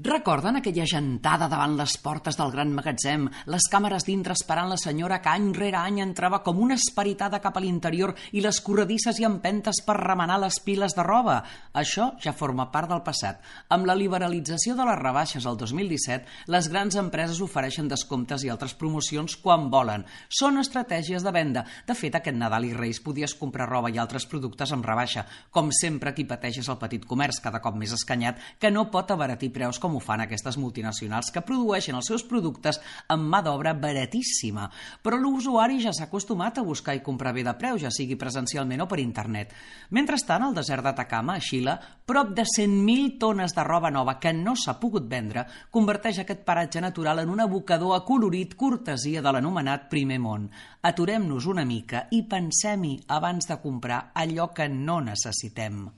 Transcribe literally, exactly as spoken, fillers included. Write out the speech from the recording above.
Recorden aquella gentada davant les portes del gran magatzem, les càmeres dintre esperant la senyora que any rere any entrava com una esperitada cap a l'interior i les corredisses i empentes per remenar les piles de roba? Això ja forma part del passat. Amb la liberalització de les rebaixes el dos mil disset, les grans empreses ofereixen descomptes i altres promocions quan volen. Són estratègies de venda. De fet, aquest Nadal i Reis podies comprar roba i altres productes amb rebaixa. Com sempre, qui pateix és el petit comerç, cada cop més escanyat, que no pot abaratir preus com ho fan aquestes multinacionals que produeixen els seus productes amb mà d'obra baratíssima. Però l'usuari ja s'ha acostumat a buscar i comprar bé de preu, ja sigui presencialment o per internet. Mentrestant, al desert d'Atacama, a Xile, prop de cent mil tones de roba nova que no s'ha pogut vendre converteix aquest paratge natural en un abocador acolorit cortesia de l'anomenat primer món. Aturem-nos una mica i pensem-hi abans de comprar allò que no necessitem.